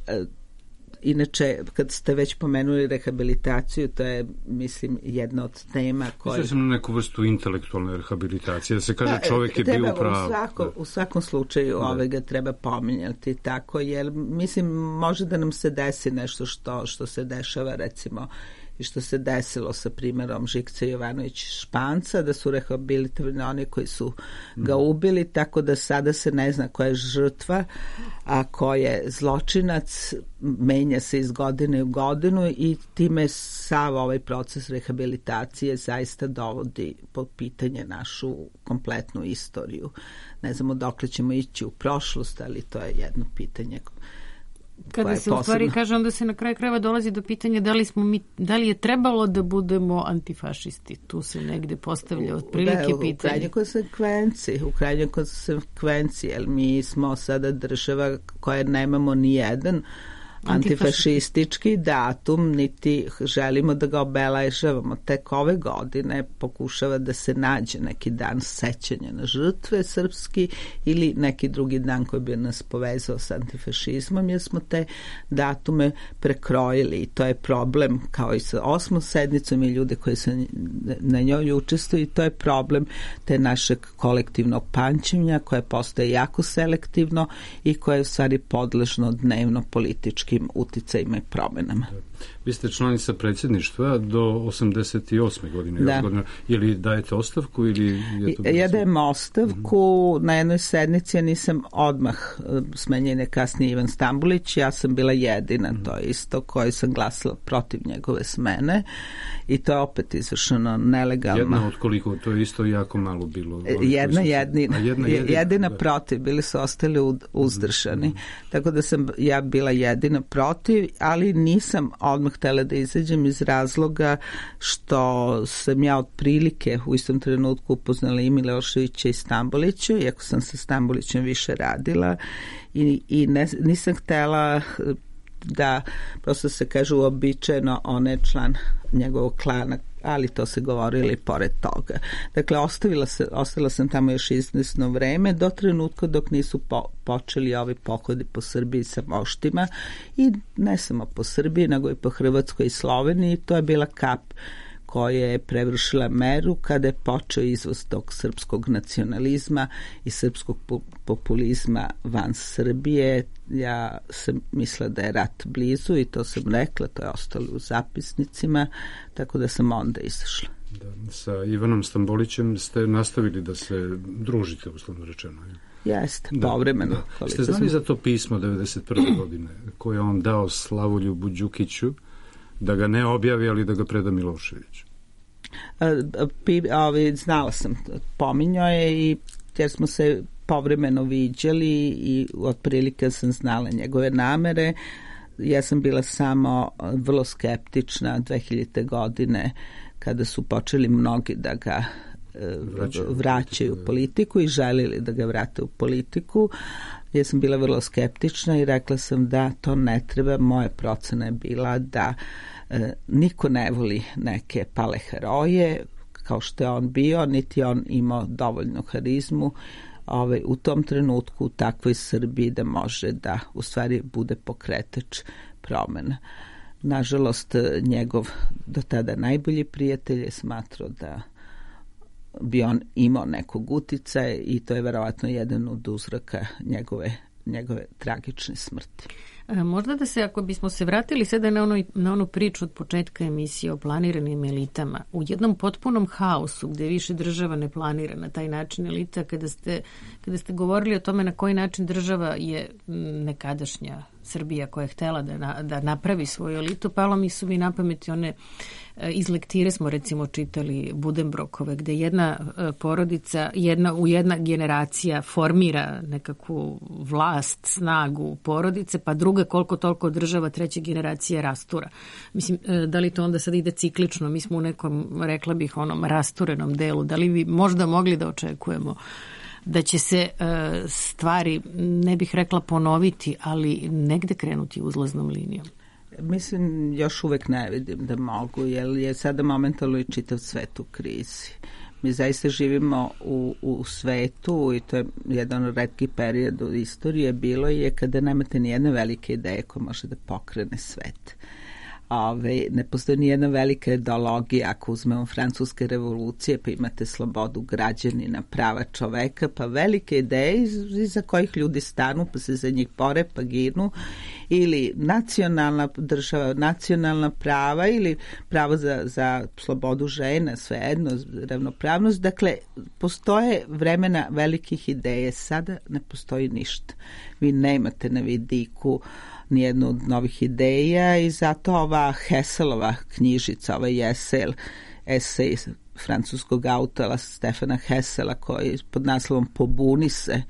inače, kad ste već pomenuli rehabilitaciju, to je, mislim, jedna od tema koje... Mislim sam na neku vrstu intelektualne rehabilitacije, da se kaže čovjek je bio u pravu. U, svako, u svakom slučaju ove ga treba pominjati tako, jer, mislim, može da nam se desi nešto što, što se dešava, recimo, i što se desilo sa primjerom Žikce Jovanović Španca, da su rehabilitovani oni koji su ga ubili, tako da sada se ne zna koja je žrtva, a ko je zločinac, menja se iz godine u godinu i time sav ovaj proces rehabilitacije zaista dovodi pod pitanje našu kompletnu istoriju. Ne znamo dokle ćemo ići u prošlost, ali to je jedno pitanje. Kada se u stvari kaže, onda se na kraju krajeva dolazi do pitanja da li, smo mi, da li je trebalo da budemo antifašisti. Tu se negde postavlja otprilike pitanje. U krajnjoj konsekvenciji, u krajnjoj konsekvenciji, jer mi smo sada država koja nemamo ni jedan antifašistički datum, niti želimo da ga obeležavamo. Tek ove godine pokušava da se nađe neki dan sećanja na žrtve srpski ili neki drugi dan koji bi nas povezao s antifašizmom, jer smo te datume prekrojili i to je problem kao i sa osmom sednicom i ljude koji se na njoj učestvuju i to je problem te našeg kolektivnog pamćenja koje postaje jako selektivno i koje je u stvari podležno dnevno politički uticajima i promenama. Vi ste članica predsjedništva do osamdeset osme godine. Da. Godine. Je li dajete ostavku ili je to... Ja dajem ostavku. Mm-hmm. Na jednoj sednici ja nisam odmah smenjen je kasnije Ivan Stambulić. Ja sam bila jedina, mm-hmm. to isto, koja sam glasila protiv njegove smene i to je opet izvršeno nelegalno. Jedna od koliko? To je isto jako malo bilo. Jedna jedina. jedna jedina, jedina protiv. Bili su ostali uzdržani. Mm-hmm. Tako da sam ja bila jedina protiv, ali nisam odmah htjela da izađem iz razloga što sam ja otprilike u istom trenutku upoznala i Miloševića i Stambolića, iako sam sa Stambolićem više radila i, i ne, nisam htjela da, prosto se kaže uobičajeno, on je član njegovog klana, ali to se govorilo i pored toga. Dakle, ostavila, se, ostavila sam tamo još izvesno vreme do trenutka dok nisu po, počeli ovi pohodi po Srbiji sa moštima i ne samo po Srbiji, nego i po Hrvatskoj i Sloveniji. To je bila kap koja je prevršila meru kada je počeo izvoz tog srpskog nacionalizma i srpskog populizma van Srbije. Ja sam mislila da je rat blizu i to sam rekla, to je ostalo u zapisnicima, tako da sam onda izašla. Da, sa Ivanom Stambolićem ste nastavili da se družite, uslovno rečeno. Jeste, povremeno. Da, da. Ste znali za to pismo devedeset prve godine koje je on dao Slavoljubu Đukiću da ga ne objavi, ali da ga preda Miloševiću? Znala sam, pominjao je, i jer smo se povremeno viđali i otprilike sam znala njegove namere. Ja sam bila samo vrlo skeptična dve hiljadite godine kada su počeli mnogi da ga vraćaju, vraćaju u politiku i želili da ga vrate u politiku. Ja sam bila vrlo skeptična i rekla sam da to ne treba. Moja procena je bila da e, niko ne voli neke pale heroje kao što je on bio, niti on imao dovoljnu harizmu ovaj, u tom trenutku u takvoj Srbiji da može da u stvari bude pokretač promena. Nažalost, njegov do tada najbolji prijatelj je smatrao da bi on imao nekog uticaja i to je verovatno jedan od uzroka njegove, njegove tragične smrti. A možda da se, ako bismo se vratili sada na, ono, na onu priču od početka emisije o planiranim elitama, u jednom potpunom haosu gde više država ne planira na taj način elita, kada ste, kada ste govorili o tome na koji način država je nekadašnja Srbija koja je htela da, na, da napravi svoju elitu, palo mi su mi na pameti one iz lektire smo recimo čitali Budenbrokove, gde jedna porodica, jedna, u jedna generacija formira nekakvu vlast, snagu porodice, pa druga koliko toliko država, treća generacija rastura. Mislim, da li to onda sad ide ciklično? Mi smo u nekom, rekla bih, onom rasturenom delu. Da li bi možda mogli da očekujemo da će se stvari, ne bih rekla ponoviti, ali negde krenuti uzlaznom linijom? Mislim, još uvek ne vidim da mogu, jer je sada momentalno i čitav svet u krizi. Mi zaista živimo u, u svetu i to je jedan od retkih perioda u istorije, bilo je kada nemate ni jedne velike ideje koja može da pokrene svet. Ove, ne postoji ni jedna velika ideologija, ako uzmemo francuske revolucije, pa imate slobodu građanina, prava čoveka, pa velike ideje iza kojih ljudi stanu, pa se za njih bore, pa ginu, ili nacionalna država, nacionalna prava ili pravo za, za slobodu žena, svejedno, ravnopravnost. Dakle, postoje vremena velikih ideje, sada ne postoji ništa. Vi nemate na vidiku nijednu od novih ideja i zato ova Hesselova knjižica, ovaj esej, esej francuskog autora Stefana Hessela koji pod naslovom Pobuni se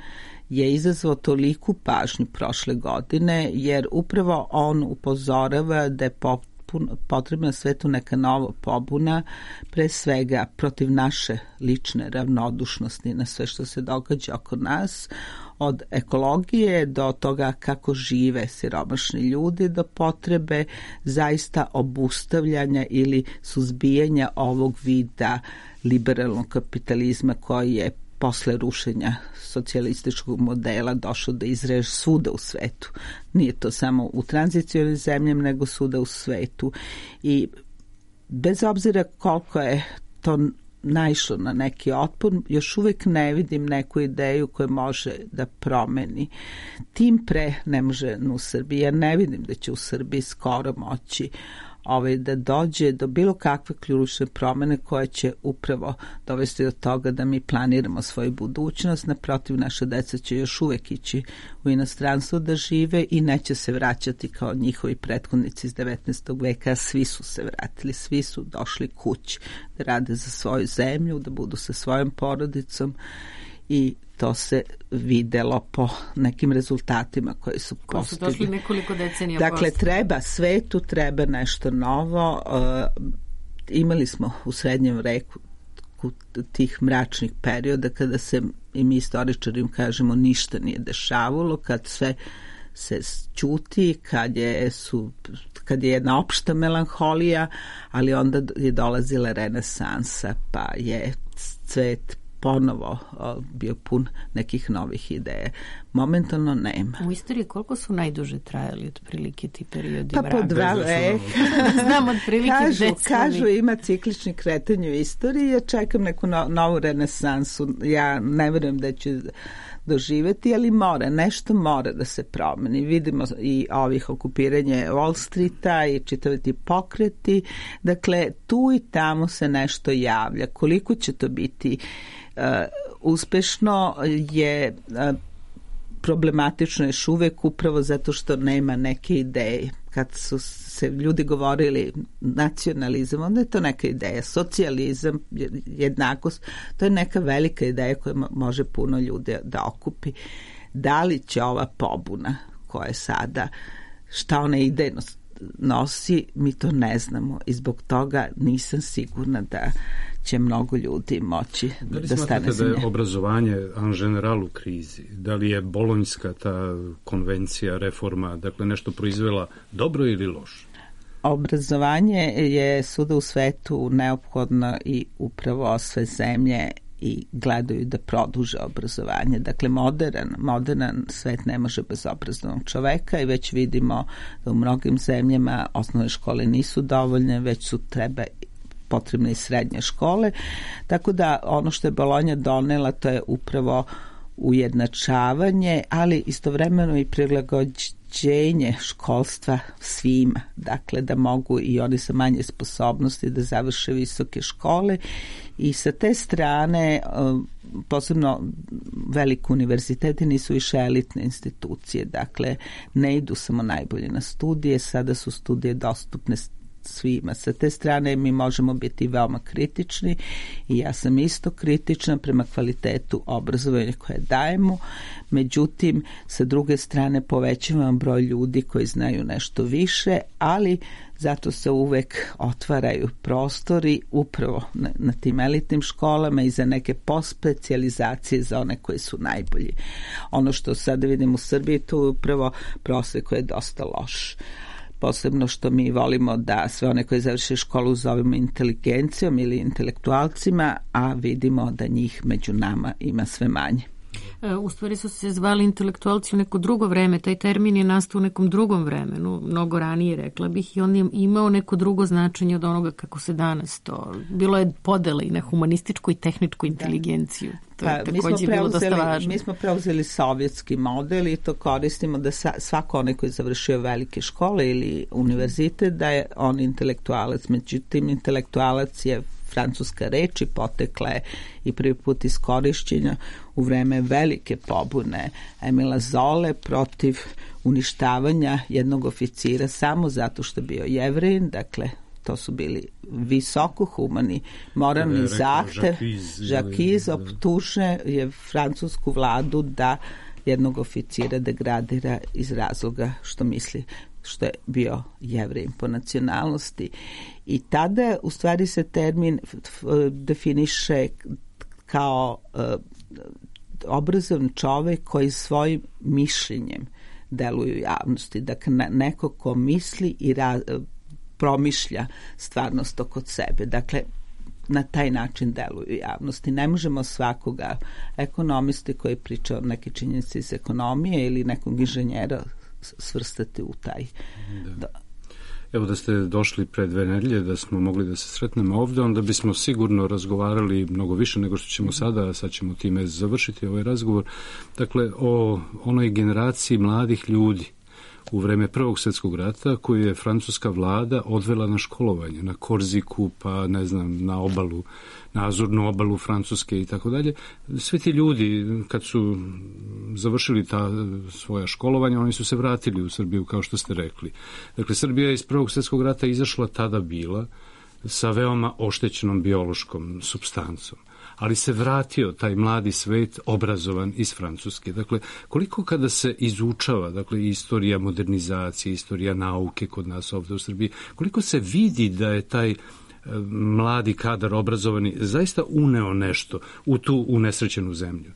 je izazvao toliku pažnju prošle godine, jer upravo on upozorava da je potrebna svetu neka nova pobuna, pre svega protiv naše lične ravnodušnosti na sve što se događa oko nas, od ekologije do toga kako žive siromašni ljudi, do potrebe zaista obustavljanja ili suzbijanja ovog vida liberalnog kapitalizma koji je posle rušenja socijalističkog modela došao da izreže svuda u svetu. Nije to samo u tranzicionim zemljama, nego svuda u svetu. I bez obzira koliko je to naišlo na neki otpor, još uvek ne vidim neku ideju koja može da promeni. Tim pre ne može u Srbiji. Ja ne vidim da će u Srbiji skoro moći ovaj, da dođe do bilo kakve ključne promene koje će upravo dovesti do toga da mi planiramo svoju budućnost. Naprotiv, naša deca će još uvek ići u inostranstvo da žive i neće se vraćati kao njihovi prethodnici iz devetnaestog veka. Svi su se vratili, svi su došli kući da rade za svoju zemlju, da budu sa svojom porodicom i to se videlo po nekim rezultatima koji su postigli. Koji su došli nekoliko decenija Dakle, posto. treba svetu, treba nešto novo. Uh, imali smo u srednjem veku tih mračnih perioda kada se, i mi istoričari kažemo, ništa nije dešavalo, kad sve se ćuti, kad je, su, kad je jedna opšta melanholija, ali onda je dolazila renesansa, pa je svet ponovo bio pun nekih novih ideja. Momentalno nema. U istoriji koliko su najduže trajali otprilike ti periodi pa mraka? Po dva veka. Znam otprilike kažu, gde kažu ima ciklični kretanje u istoriji. Ja čekam neku no, novu renesansu. Ja ne verujem da ću doživeti, ali mora, nešto mora da se promeni. Vidimo i ovih okupiranje Wall Streeta i čitave ti pokreti. Dakle, tu i tamo se nešto javlja. Koliko će to biti uh, uspešno je uh, problematično još uvek upravo zato što nema neke ideje. Kad su se ljudi govorili nacionalizam, onda je to neka ideja. Socijalizam, jednakost, to je neka velika ideja koja može puno ljudi da okupi. Da li će ova pobuna koja je sada, šta ona idejno nosi, mi to ne znamo i zbog toga nisam sigurna da će mnogo ljudi moći da, da stane da za nje. Da je obrazovanje en general u krizi? Da li je bolonjska ta konvencija, reforma, dakle nešto proizvela dobro ili loše? Obrazovanje je svuda u svetu neophodno i upravo sve zemlje i gledaju da produže obrazovanje. Dakle, modern, modern svet ne može bez obrazovnog čoveka i već vidimo da u mnogim zemljama osnovne škole nisu dovoljne, već su treba potrebne i srednje škole. Tako da ono što je Bolonja donela, to je upravo ujednačavanje, ali istovremeno i prilagođenje školstva svima. Dakle, da mogu i oni sa manje sposobnosti da završe visoke škole i sa te strane posebno veliki univerziteti nisu više elitne institucije. Dakle, ne idu samo najbolje na studije, sada su studije dostupne svima. Sa te strane mi možemo biti veoma kritični i ja sam isto kritična prema kvalitetu obrazovanja koje dajemo. Međutim, sa druge strane povećavam broj ljudi koji znaju nešto više, ali zato se uvek otvaraju prostori upravo na, na tim elitnim školama i za neke postspecijalizacije za one koji su najbolji. Ono što sada vidim u Srbiji, to je upravo prosek koji je dosta loš. Posebno što mi volimo da sve one koji završe školu zovemo inteligencijom ili intelektualcima, a vidimo da njih među nama ima sve manje. U stvari su se zvali intelektualci u neko drugo vreme, taj termin je nastao u nekom drugom vremenu, mnogo ranije rekla bih, i on je imao neko drugo značenje od onoga kako se danas to, bilo je podela i na humanističku i tehničku inteligenciju. To je pa, takođe bilo dosta važno. Mi smo preuzeli sovjetski model i to koristimo da sa, svako onaj koji je završio velike škole ili univerzitet, da je on intelektualac. Međutim, intelektualac je francuska reč i potekla je i prvi put iskorišćenja u vreme velike pobune Emila Zole protiv uništavanja jednog oficira samo zato što je bio Jevrejin. Dakle, to su bili visoko humani moralni zahtev. Žakiz optuže je francusku vladu da jednog oficira degradira iz razloga što misli što je bio Jevrejin po nacionalnosti. I tada u stvari se termin definiše kao uh, obrazovan čovek koji svojim mišljenjem deluje u javnosti. Dakle, neko ko misli i ra, promišlja stvarnost oko sebe. Dakle, na taj način deluju u javnosti. Ne možemo svakoga ekonomisti koji priča o neke činjenice iz ekonomije ili nekog inženjera svrstati u taj. Da. Da. Evo da ste došli pre dve nedelje, da smo mogli da se sretnemo ovde, onda bismo sigurno razgovarali mnogo više nego što ćemo sada, a sad ćemo time završiti ovaj razgovor. Dakle, o onoj generaciji mladih ljudi u vreme Prvog svjetskog rata koju je francuska vlada odvela na školovanje, na Korziku, pa ne znam, na obalu, na Azurnu obalu Francuske i tako dalje. Svi ti ljudi, kad su završili ta svoja školovanja, oni su se vratili u Srbiju, kao što ste rekli. Dakle, Srbija je iz Prvog svjetskog rata izašla tada bila sa veoma oštećenom biološkom supstancom, ali se vratio taj mladi svet obrazovan iz Francuske. Dakle, koliko kada se izučava, dakle, istorija modernizacije, istorija nauke kod nas ovde u Srbiji, koliko se vidi da je taj mladi kadar obrazovani zaista uneo nešto u tu unesrećenu zemlju?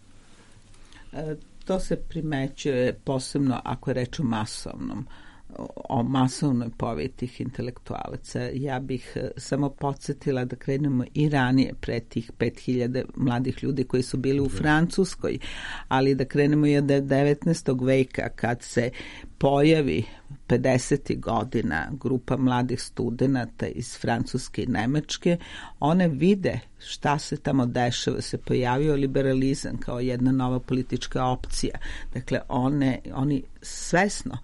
E, to se primećuje posebno ako je reč o masovnom o masovnoj pojavi tih intelektualaca. Ja bih samo podsjetila da krenemo i ranije pre tih pet hiljada mladih ljudi koji su bili u Francuskoj, ali da krenemo i od devetnaestog veka kad se pojavi pedesetih godina grupa mladih studenata iz Francuske i Nemačke, one vide šta se tamo dešava, se pojavio liberalizam kao jedna nova politička opcija. Dakle, one, oni svesno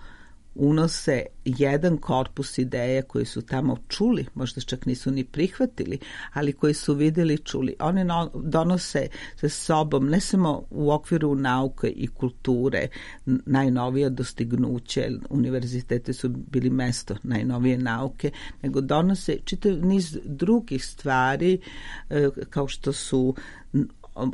unose jedan korpus ideja koji su tamo čuli, možda čak nisu ni prihvatili, ali koji su videli, čuli. One no, donose sa sobom ne samo u okviru nauke i kulture najnovija dostignuće, univerzitete su bili mesto najnovije nauke, nego donose čitav niz drugih stvari kao što su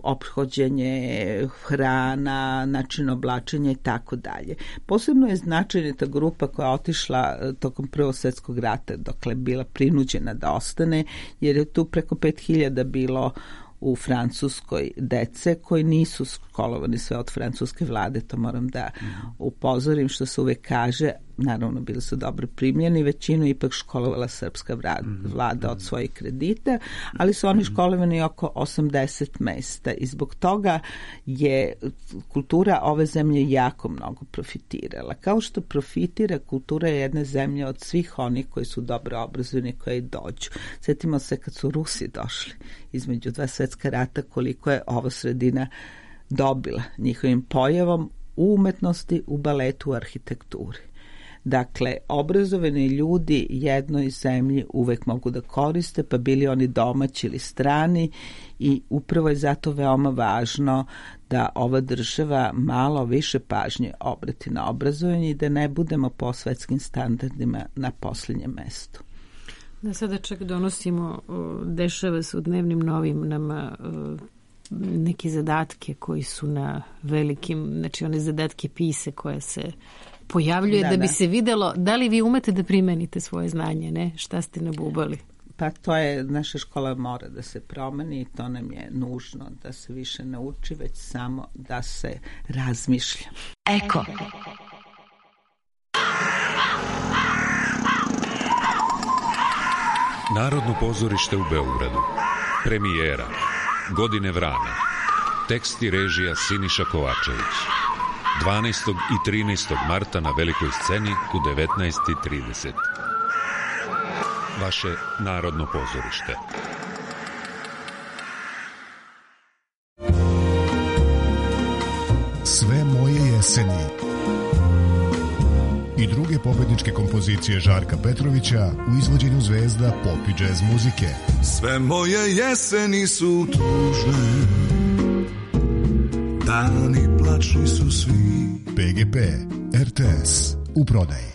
ophođenje, hrana, način oblačenja i tako dalje. Posebno je značajna ta grupa koja je otišla tokom Prvog svjetskog rata, dokle bila prinuđena da ostane, jer je tu preko pet hiljada bilo u Francuskoj dece koji nisu školovani sve od francuske vlade, to moram da upozorim, što se uvek kaže, naravno bili su dobro primljeni, većinu ipak školovala srpska vlada od svojih kredita, ali su oni školovani oko osamdeset mesta i zbog toga je kultura ove zemlje jako mnogo profitirala. Kao što profitira kultura jedne zemlje od svih onih koji su dobro obrazovani, koji dođu. Sjetimo se kad su Rusi došli između dva svjetska rata, koliko je ova sredina dobila njihovim pojavom u umetnosti, u baletu, u arhitekturi. Dakle, obrazovani ljudi jednoj zemlji uvek mogu da koriste, pa bili oni domaći ili strani, i upravo je zato veoma važno da ova država malo više pažnje obrati na obrazovanje i da ne budemo po svetskim standardima na posljednjem mestu. Da sada čak donosimo, dešava se u dnevnim novinama neke zadatke koji su na velikim, znači one zadatke pise koje se pojavljuje da, da bi da. se videlo da li vi umete da primenite svoje znanje, ne? Šta ste nabubali? Pa to je, naša škola mora da se promeni i to nam je nužno, da se više ne uči, već samo da se razmišlja. Eko. Narodno pozorište u Beogradu. Premijera. Godine vrana. Tekst i režija Siniša Kovačević. dvanaestog i trinaestog marta na velikoj sceni u devetnaest i trideset. Vaše Narodno pozorište. Sve moje jeseni i druge pobedničke kompozicije Žarka Petrovića u izvođenju zvezda pop i džez muzike. Sve moje jeseni su tužne, dani plačni su svi. P G P, R T S, u prodaji.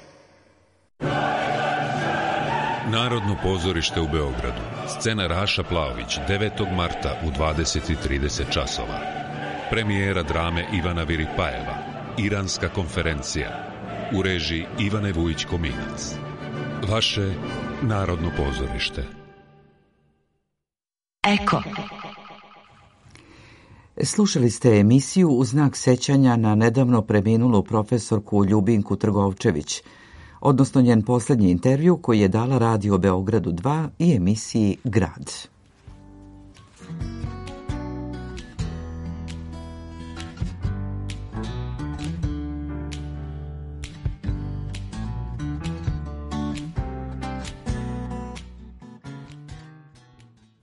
Narodno pozorište u Beogradu. Scena Raša Plaović, devetog marta u dvadeset i trideset časova. Premijera drame Ivana Viripajeva, Iranska konferencija. U režiji Ivane Vujić-Kominac. Vaše Narodno pozorište. Eko. Slušali ste emisiju u znak sećanja na nedavno preminulu profesorku Ljubinku Trgovčević, odnosno njen posljednji intervju koji je dala Radio Beogradu dva i emisiji Grad.